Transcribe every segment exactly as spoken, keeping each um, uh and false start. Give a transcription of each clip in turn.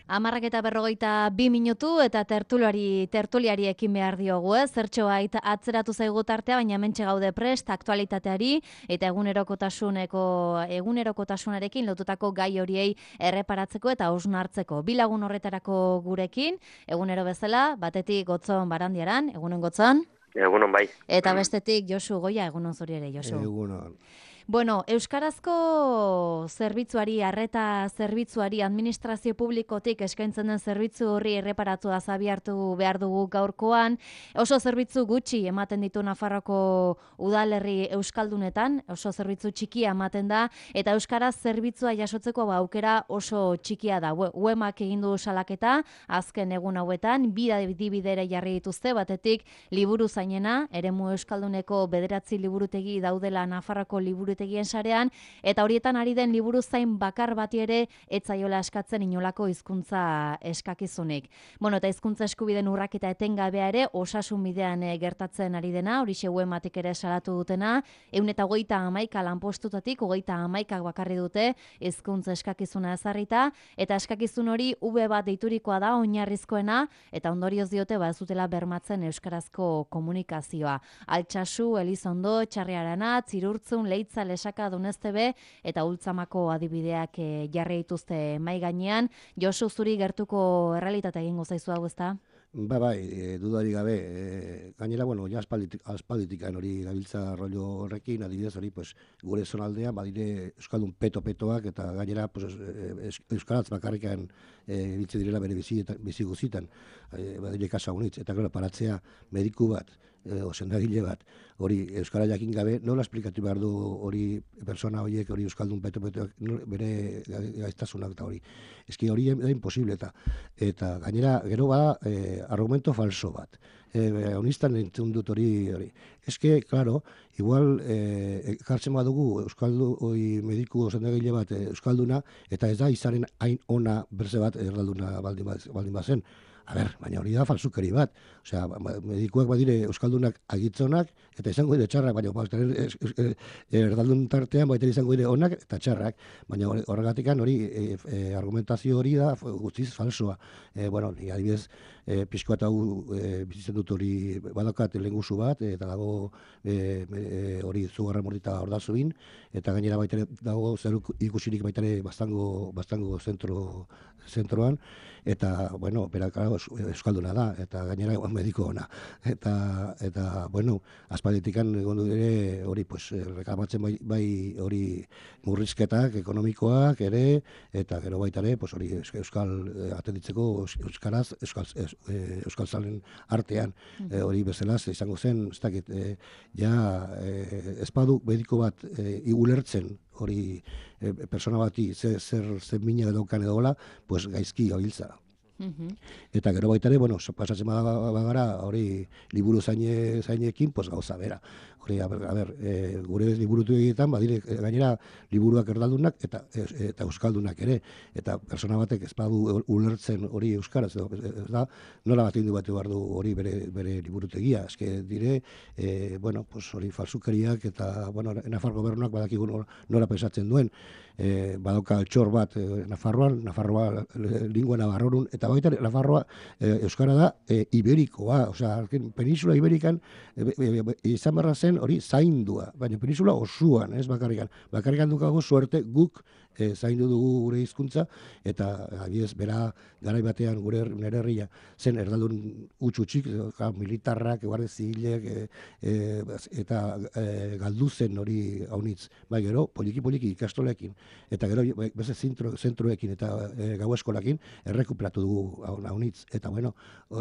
Hamarrak eta berrogeita bi minutu eta tertuliari, tertuliari ekin behar diogu, ez? Zertxo bait atzeratu zaigu tartea, baina hementxe gaude prest aktualitateari eta egunerokotasuneko egunerokotasunarekin lotutako gai horiei erreparatzeko eta hausnartzeko. Bi lagun horretarako gurekin, egunero bezala, batetik Gotzon Barandiaran, egunon Gotzon. Egunon bai. Eta bestetik Josu Goia, egunon zuri ere, Josu. Egunon. Bueno, euskarazko zerbitzuari, arreta zerbitzuari, administrazio publikotik eskaintzen den zerbitzu horri erreparatu azabiartu behar dugu gaurkoan. Oso zerbitzu gutxi ematen ditu Nafarroko udalerri euskaldunetan, oso zerbitzu txikia ematen da, eta euskaraz zerbitzua jasotzeko ba, aukera oso txikia da. Uemak egin du salaketa, azken egun hauetan, bida dibidere jarri dituzte, batetik liburu zainena, eremu euskalduneko bederatzi liburutegi daudela Nafarroko liburu tegien sarean, eta horietan ari den liburu zain bakar bati ere etzaiola eskatzen inolako hizkuntza eskakizunik. Bueno, eta hizkuntza eskubideen urraketa etengabea ere osasun bidean e, gertatzen ari dena, horixe uematik ere salatu dutena, ehun eta hogeita hamaika lanpostutatik, hogeita hamaikak bakarri dute hizkuntza eskakizuna ezarrita, eta eskakizun hori ube bat deiturikoa da oinarrizkoena, eta ondorioz diote ba ez dutela bermatzen euskarazko komunikazioa. Altsasu, Elizondo, Txarriarana, Zirurtzun, Leitza, Lesaka, Doneztebe eta Ultzamako adibideak e, jarri dituzte mai gainean. Josu, zuri gertuko errealitate egingo zaizu hau, ezta? Ba, bai, e, dudari gabe, e, gainera, bueno, ja aspalditik, aspalditikan hori gabiltza rollo horrekin, adibidez hori, pues, gure zonaldean, badire Euskaldun peto-petoak, eta gainera, pues, es, Euskaraz bakarrikan e, biltze direla bere bizi, bizi guzitan, e, badire kasa honitz, eta gero paratzea mediku bat, e, o sendagile bat, hori euskara jakin gabe, nola esplikatu behar du hori persona horiek, hori Euskaldun peto-petoak, bere gaiztasunak eta hori. Eski hori da imposible, eta, eta gainera, gero bada, e, argumento falso bat. Eh, honistan entzun dut hori, hori. Eske, claro, igual eh, kartzen badugu Euskaldu, oi, mediku sendagile bat eh, Euskalduna, eta ez da izaren hain ona berze bat erdalduna baldin, baldin bazen. A ber, baina hori da falsukeri bat. Osea, medikuak badire Euskaldunak agitzonak, eta izango dire txarrak, baina erdaldun tartean baita izango dire onak eta txarrak. Baina horregatikan hori, e, e, argumentazio hori da guztiz falsoa. E, bueno, ni adibidez, e, pixko eta e, bizitzen dut hori badakat lehengusu bat, eta dago e, e, hori zugarra mordita ordazubin, eta gainera baita dago zer ikusirik baita bastango, bastango zentro, zentroan, eta, bueno, bera, claro, euskalduna da, eta gainera mediko ona. Eta, eta bueno, aspalditikan egon ere hori, pues, rekamatzen bai, bai hori murrizketak ekonomikoak ere, eta gero baita ere, pues, hori euskal atenditzeko euskaraz, euskal, euskal zalen artean, e, hori bezala, izango zen, ez dakit, e, ja, e, espadu mediko bat e, ulertzen, hori e, persona bati zer, zer, zer mina daukan edo gola, pues gaizki gabiltza. Uh-huh. Eta gero baita ere, bueno, pasatzen bagara, hori liburu zaine, zainekin, pues gauza bera. Hori, a ber, a ber e, gure liburutu egietan, badire, gainera liburuak erdaldunak eta, eta euskaldunak ere. Eta persona batek ez badu ulertzen hori euskaraz, ez da, nola bat indu batu behar du hori bere, bere liburutegia. Eske dire, e, bueno, pues hori falsukeriak eta, bueno, Nafar gobernuak badakigu nola pensatzen duen. E, badauka altxor bat e, Nafarroan, Nafarroa lingua navarrorun, eta baita Nafarroa e, euskara da e, iberikoa, osea, peninsula iberikan e, e, e, izan barra zen hori zaindua, baina peninsula osuan, ez bakarrikan. Bakarrikan dukago suerte guk e, zaindu dugu gure hizkuntza, eta adibidez bera garai batean gure nere herria zen erdaldun utxutxik, militarrak, guardia zibilek, e, e, eta e, galdu zen hori haunitz. Bai gero, poliki-poliki ikastolekin, eta gero beste zentro, zentroekin eta e, gau eskolakin errekuperatu dugu haunitz. Eta bueno,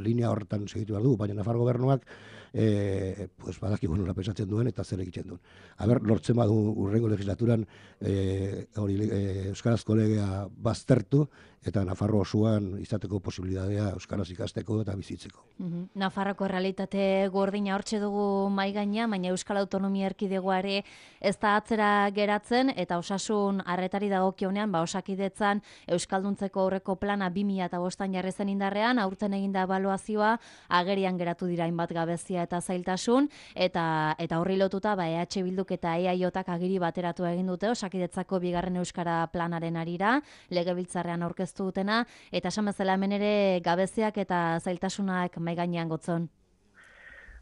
linea horretan segitu behar dugu, baina Nafar gobernuak e, pues, badakigu nola pensatzen duen eta zer egiten duen. Aber, lortzen badu urrengo legislaturan e, hori e, euskarazko legea baztertu, eta Nafarro osoan izateko posibilitatea euskaraz ikasteko eta bizitzeko. Uh-huh. Nafarroko realitate gordina hortxe dugu mai gainean, baina Euskal Autonomia Erkidegoare ez da atzera geratzen, eta osasun arretari dagokionean, ba Osakidetzan euskalduntzeko aurreko plana bi mila bostan jarri zen indarrean, aurten eginda ebaluazioa, agerian geratu dira hainbat gabezia eta zailtasun, eta eta horri lotuta ba E H Bilduk eta E A J-ak agiri bateratu egin dute Osakidetzako bigarren euskara planaren arira, legebiltzarrean aurkeztu aurkeztu dutena, eta esan bezala hemen ere gabeziak eta zailtasunak mahai gainean gotzon.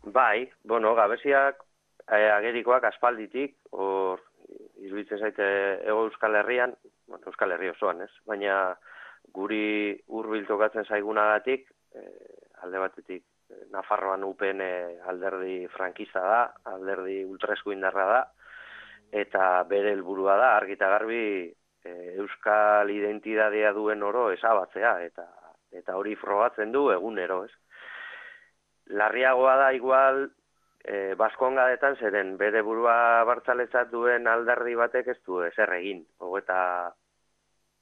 Bai, bueno, gabeziak eh, agerikoak aspalditik, hor iruditzen zaite Hego Euskal Herrian, bueno, Euskal Herri osoan, ez? Baina guri hurbil tokatzen zaigunagatik, eh, alde batetik Nafarroan U P N alderdi frankista da, alderdi ultraeskuindarra da, eta bere helburua da argi eta garbi eh, euskal identitatea duen oro ezabatzea, eta eta hori frogatzen du egunero, ez? Larriagoa da igual e, Baskongadetan zeren bere burua abertzaletzat duen alderdi batek ez du ezer egin. Hogeita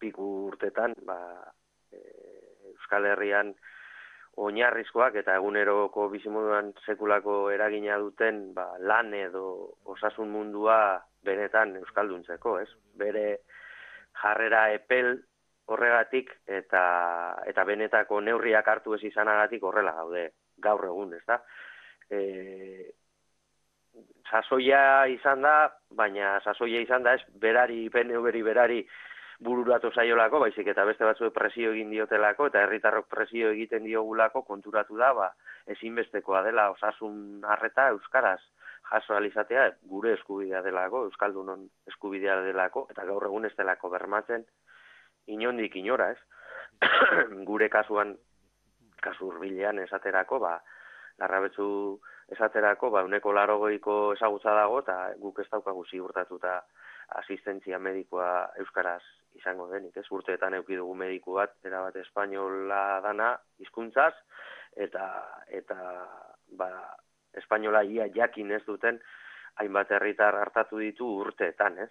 piku urtetan, ba, e, Euskal Herrian oinarrizkoak eta eguneroko bizimoduan sekulako eragina duten ba, lan edo osasun mundua benetan euskalduntzeko, ez? Bere jarrera epel horregatik eta eta benetako neurriak hartu ez izanagatik horrela gaude gaur egun, ez da? E, sasoia izan da, baina sasoia izan da ez berari, P N V-ri berari bururatu zaiolako, baizik eta beste batzuek presio egin diotelako, eta herritarrok presio egiten diogulako konturatu da, ba, ezinbestekoa dela osasun arreta euskaraz jaso alizatea, gure eskubidea delako, euskaldunon eskubidea delako, eta gaur egun ez delako bermatzen inondik inora, ez? Gure kasuan, kasu hurbilean esaterako, ba, larrabetzu esaterako, ba, uneko larogeiko ezagutza dago, eta guk ez daukagu ziurtatuta asistentzia medikoa euskaraz izango denik, ez? Urteetan eduki dugu mediku bat, erabat espainola dana, hizkuntzaz, eta, eta ba, espainola ia jakin ez duten, hainbat herritar hartatu ditu urteetan, ez?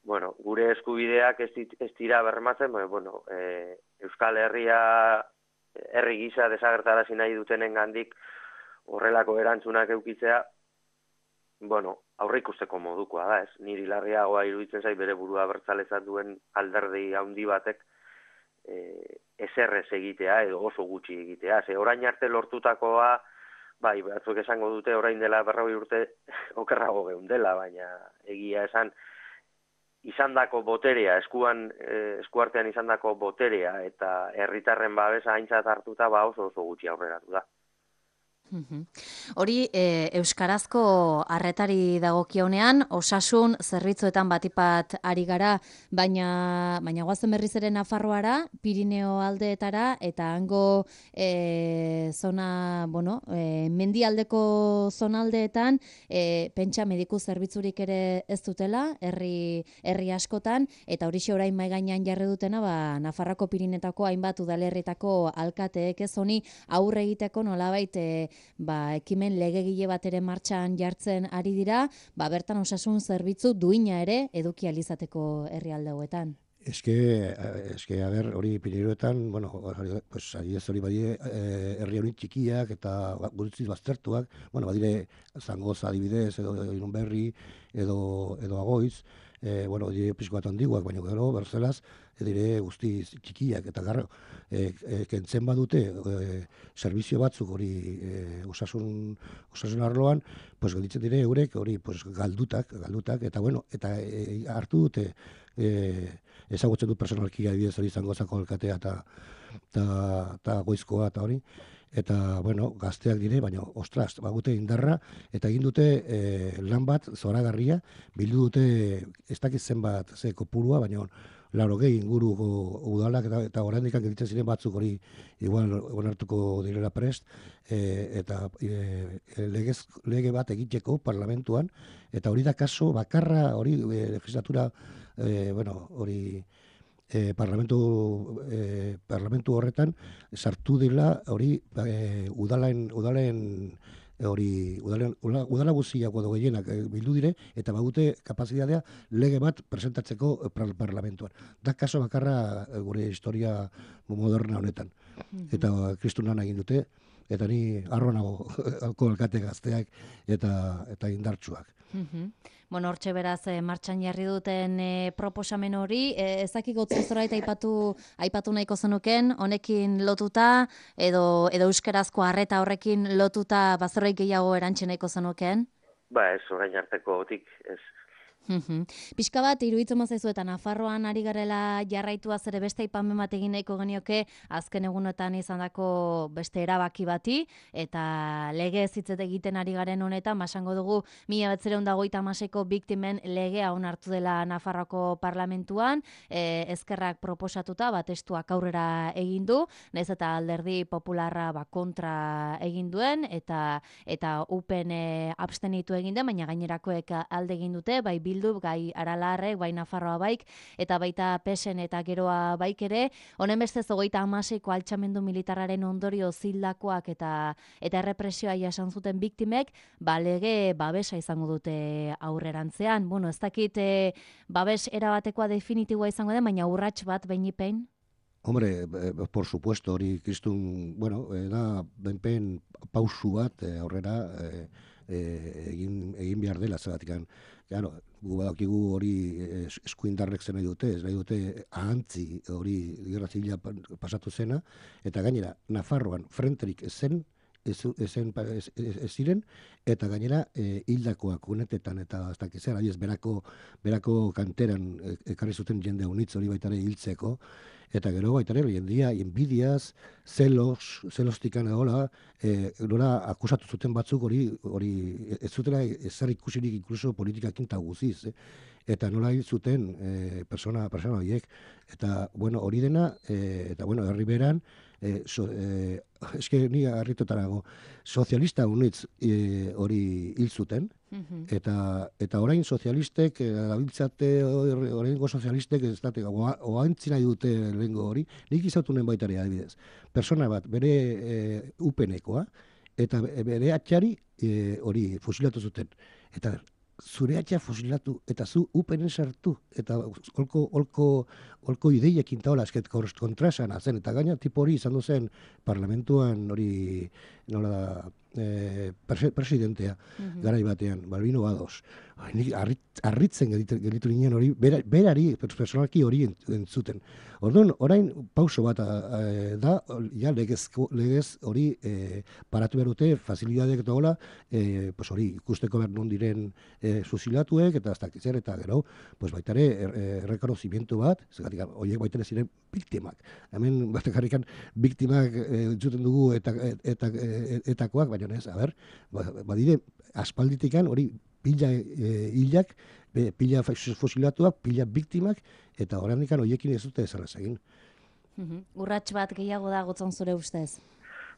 Bueno, gure eskubideak ez, dit, ez dira bermatzen, bueno, e, Euskal Herria herri gisa desagertarazi nahi dutenen gandik horrelako erantzunak eukitzea, bueno, aurre ikusteko modukoa da, ez? Niri larriagoa iruditzen zait bere burua abertzaletzat duen alderdi handi batek e, ezerrez egitea edo oso gutxi egitea. Ze orain arte lortutakoa, bai, batzuk esango dute orain dela berrogei urte okerrago geundela, baina egia esan izandako boterea, eskuan, eh, eskuartean izandako boterea eta herritarren babesa aintzat hartuta ba oso oso gutxi aurreratu da. Hori, e, euskarazko arretari dagokionean, osasun zerbitzuetan batipat ari gara, baina baina goazen berriz ere Nafarroara, Pirineo aldeetara, eta hango e, zona, bueno, e, mendialdeko zonaldeetan, e, pentsa mediku zerbitzurik ere ez dutela, herri, herri askotan, eta hori orain mai gainean jarri dutena, ba, Nafarroko Pirinetako hainbat udalerritako alkateek ez honi aurre egiteko nolabait e, ba, ekimen legegile bat ere martxan jartzen ari dira, ba, bertan osasun zerbitzu duina ere eduki alizateko herrialde hauetan. Eske, eske, a ber, hori Pirineoetan, bueno, pues, adibidez hori badire, eh, herri hori txikiak eta gurutziz baztertuak, bueno, badire Zangoza adibidez, edo Irunberri, edo, edo Agoiz, eh, bueno, dire pixko bat handiguak, baina gero, berzelaz, dire guzti txikiak, eta garro, e, e, kentzen badute e, servizio batzuk hori e, osasun, osasun arloan, pues gelditzen dire eurek hori pues, galdutak, galdutak, eta bueno, eta e, hartu dute e, ezagutzen dut personalkia adibidez hori Zangozako alkatea eta eta Goizkoa eta hori, eta bueno, gazteak dire, baina ostras, bagute indarra, eta egin dute e, lan bat zoragarria, bildu dute ez dakit zenbat ze kopurua, baina laurogei inguruko udalak eta, eta oraindik gelditzen ziren batzuk hori igual onartuko direla prest, e, eta e, legez, lege bat egiteko parlamentuan, eta hori da kaso bakarra hori e, legislatura e, bueno, hori e, parlamentu, e, parlamentu horretan sartu dela hori e, udalen, udalen hori udalen, udala guztiak edo gehienak bildu dire eta badute kapazitatea lege bat presentatzeko parlamentuan. Da kaso bakarra gure historia moderna honetan. Eta kristunan egin dute, eta ni harro nago alkate gazteak eta eta indartsuak. Bueno, hortxe beraz, e, martxan jarri duten e, proposamen hori, e, ezakik gotzu zorait aipatu, aipatu nahiko zenuken, honekin lotuta, edo, edo euskerazko arreta horrekin lotuta, bazeroik gehiago erantxe nahiko zenuken? Ba ez, orain arteko otik, ez. Pixka bat, iruditzen mazaizu eta Nafarroan ari garela jarraitua ere beste aipamen bat egin nahiko genioke azken egunetan izandako beste erabaki bati eta lege ez hitzet egiten ari garen honetan, basango dugu mila bederatziehun eta hogeita hamaseiko biktimen legea onartu dela Nafarroako parlamentuan, e, ezkerrak proposatuta, bat testuak aurrera egin du, nahiz eta alderdi popularra ba, kontra egin duen eta eta upen e, abstenitu egin den, baina gainerakoek alde egin dute, bai Bildu, gai Aralarrek, bai Nafarroa baik, eta baita Pesen eta geroa baik ere, honen bestez hogeita hamaseiko altxamendu militarraren ondorio zildakoak eta eta errepresioa jasan zuten biktimek, ba lege babesa izango dute aurrerantzean. Bueno, ez dakit e, babes erabatekoa definitiboa izango den, baina urrats bat beinipein? Hombre, eh, por supuesto, hori kristun, bueno, eh, da benpen pausu bat eh, aurrera eh, eh, egin, egin behar dela, zeratikan. Claro, gu badakigu hori eskuindarrek zen nahi dute, ez nahi dute ahantzi hori gerra zibila pasatu zena, eta gainera, Nafarroan frenterik zen, ez, ezen, ez, ez, ez ziren, eta gainera e, hildakoak unetetan eta ez dakizera, ez berako, berako kanteran ekarri zuten jende unitz hori baitare hiltzeko, eta gero baitare jendia, inbidiaz, zelos, zelostikan egola, e, nora akusatu zuten batzuk hori, hori ez zutela ezer ikusirik inkluso politikakin eta guziz, eh? Eta nola hil zuten e, persona, persona horiek, eta bueno, hori dena, e, eta bueno, herri beran, e, so, e, eske ni harritotarago, sozialista unitz e, hori hil zuten, eta eta orain sozialistek gabiltzate oraingo sozialistek ez date oantzi nahi dute lehengo hori, nik izatunen baitare adibidez. Persona bat bere e, upenekoa eta bere atxari e, hori fusilatu zuten. Eta zure atxa fusilatu eta zu upenen sartu eta olko olko olko ideiekin taola esket kontrasan zen eta gaina tipo hori izan zen parlamentuan hori nola da eh, presidentea mm-hmm. garai batean, Balbino Bados. Nik harritzen gelditu ginen hori, berari, personalki hori entzuten. Orduan, orain pauso bat a, da, ja legez, legez hori e, paratu berute, facilitateak eta hola, e, pues hori ikusteko behar non diren e, susilatuek, eta azta kizer, eta gero, pues baitare errekonozimiento bat, zegatik, horiek baitare ziren biktimak. Hemen, batekarrikan, biktimak e, entzuten dugu eta, eta, eta, etakoak, baina ez, a ber, badire, aspalditikan hori pila e, hilak, pila fosilatuak, pila biktimak, eta horrendikan horiekin ez dute ezarraz egin. Urrats bat gehiago da gotzon zure ustez?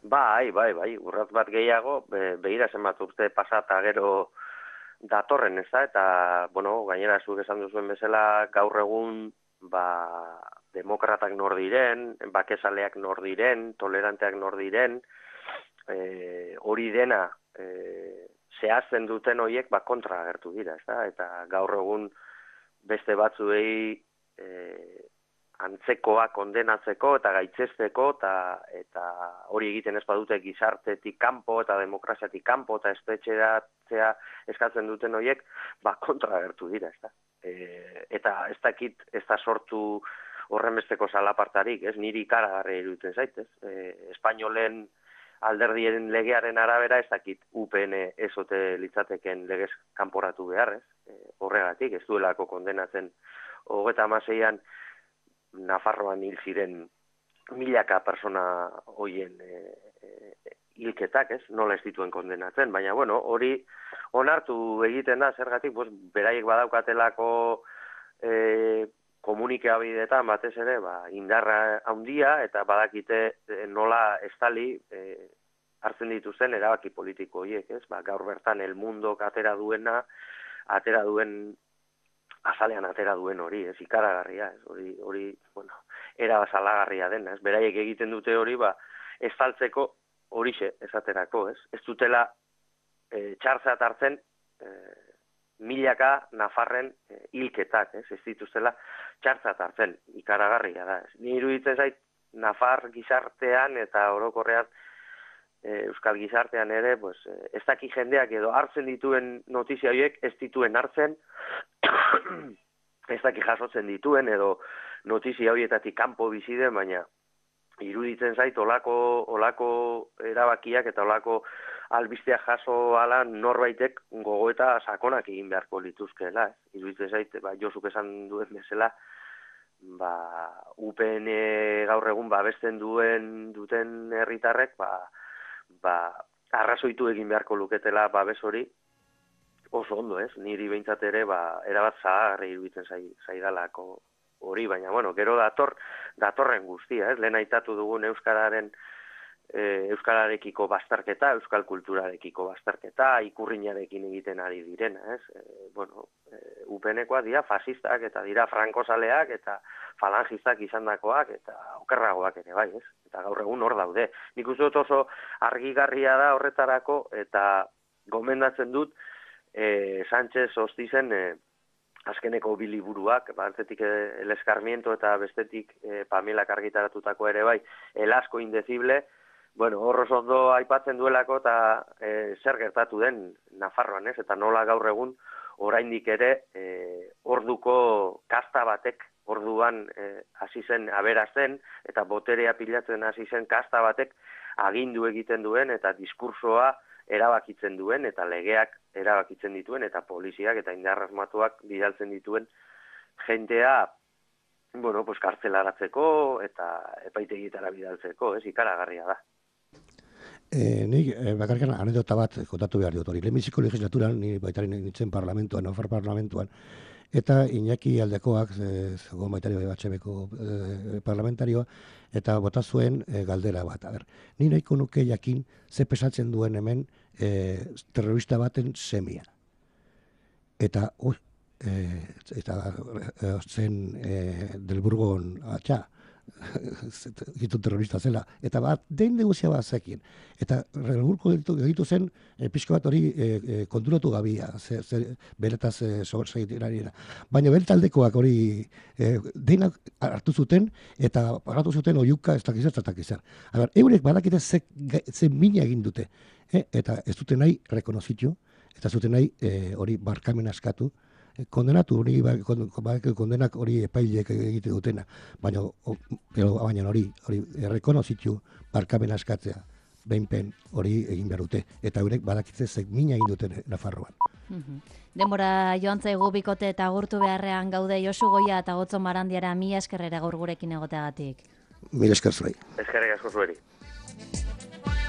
Bai, bai, bai, urrats bat gehiago, be, behira zenbat urte pasata gero datorren, ez da, eta, bueno, gainera zuk esan duzuen bezala, gaur egun, ba, demokratak nor diren, bakezaleak nor diren, toleranteak nor diren, e, hori dena, e, zehazten duten horiek ba, kontra agertu dira, ezta? Eta gaur egun beste batzuei e, antzekoa kondenatzeko eta gaitzesteko eta, eta hori egiten ez badute gizartetik kanpo eta demokraziatik kanpo eta espetxeratzea eskatzen duten horiek ba, kontra agertu dira, ezta? E, eta ez dakit ez da sortu horren besteko salapartarik, ez? Niri ikaragarri iruditzen zaitez. E, Espainolen alderdien legearen arabera ez dakit U P N ezote litzateken legez kanporatu beharrez, e, horregatik ez duelako kondenatzen hogeita hamaseian Nafarroan hil ziren milaka persona hoien e, e, hilketak, ez, nola ez dituen kondenatzen, baina bueno, hori onartu egiten da, zergatik, pues, beraiek badaukatelako e, komunikabideetan batez ere, ba, indarra handia eta badakite e, nola estali e, hartzen dituzten erabaki politiko horiek, ez? Ba, gaur bertan El Mundok atera duena, atera duen azalean atera duen hori, ez? Ikaragarria, ez? Hori, hori, bueno, era salagarria dena, ez? Beraiek egiten dute hori, ba, estaltzeko horixe esaterako, ez? Ez dutela e, txartzat hartzen e, milaka Nafarren e, hilketak, ez? Ez dituztela txartzat hartzen, ikaragarria da, ez? Ni iruditzen zait Nafar gizartean eta orokorrean e, Euskal gizartean ere, pues, ez daki jendeak edo hartzen dituen notizia horiek ez dituen hartzen, ez daki jasotzen dituen edo notizia horietatik kanpo bizi den, baina iruditzen zait olako, olako erabakiak eta olako albistea jaso ala norbaitek gogoeta sakonak egin beharko lituzkeela, ez? Iruditzen zait, ba, Josuk esan duen bezala, ba, U P N gaur egun babesten duen duten herritarrek, ba, ba, arrazoitu egin beharko luketela babes hori, oso ondo, ez? Niri behintzat ere, ba, erabat zaharri iruditzen zaidalako hori, baina, bueno, gero dator, datorren guztia, ez? Lehen aitatu dugun euskararen, e, euskararekiko bastarketa, euskal kulturarekiko bastarketa, ikurrinarekin egiten ari direna, ez? E, bueno, e, U P N-koak dira fasistak, eta dira frankozaleak, eta falangistak izandakoak, eta okerragoak ere, bai, ez? Eta gaur egun hor daude. Nik uste dut oso argigarria da horretarako, eta gomendatzen dut, E, Sánchez Ostizen e, azkeneko bi liburuak, batetik El Escarmiento eta bestetik e, Pamelak argitaratutako ere bai, El asco indecible, bueno, horroz ondo aipatzen duelako eta e, zer gertatu den Nafarroan, ez? Eta nola gaur egun oraindik ere e, orduko kasta batek, orduan e, hasi zen aberazten eta boterea pilatzen hasi zen kasta batek agindu egiten duen eta diskursoa erabakitzen duen, eta legeak erabakitzen dituen, eta poliziak eta indar armatuak bidaltzen dituen jentea, bueno, pues kartzelaratzeko eta epaitegitara bidaltzeko, ez, ikaragarria da. E, nik, e, bakarkan anedota bat kontatu behar dut hori. Lehenbiziko legislaturan, ni baitari nintzen parlamentuan, Nafar parlamentuan, eta Iñaki Aldekoak, zegoen baitari B H Bko e, parlamentarioa, eta bota zuen e, galdera bat. A ber, ni nahiko nuke jakin ze pesatzen duen hemen e, terrorista baten semia. Eta, ui, e, eta e, zen e, del Burgon atxa, gitu terrorista zela, eta bat, den negozia bat zekin. Eta relburko egitu zen, e, pixko bat hori e, e, konturatu gabia, ze, ze, beretaz e, segitera. Baina beretaldekoak hori e, denak hartu zuten, eta pagatu zuten oiuka ez dakizar, ez dakizar. Aber, eurek badakite ze, ze mina egin dute, e, eta ez dute nahi rekonozitu, eta zuten nahi e, hori barkamen askatu, kondenatu hori, kondenak hori epaileek egite dutena, baina baina hori, hori errekonozitu barkamen askatzea, behinpen hori egin behar dute, eta eurek badakitze zek mina egin duten Nafarroan. Denbora joan zaigu bikote eta agurtu beharrean gaude Josu Goia eta Gotzo Marandiara mila eskerrera gaur gurekin egoteagatik. Mila esker zuei. Eskerrik asko zueri.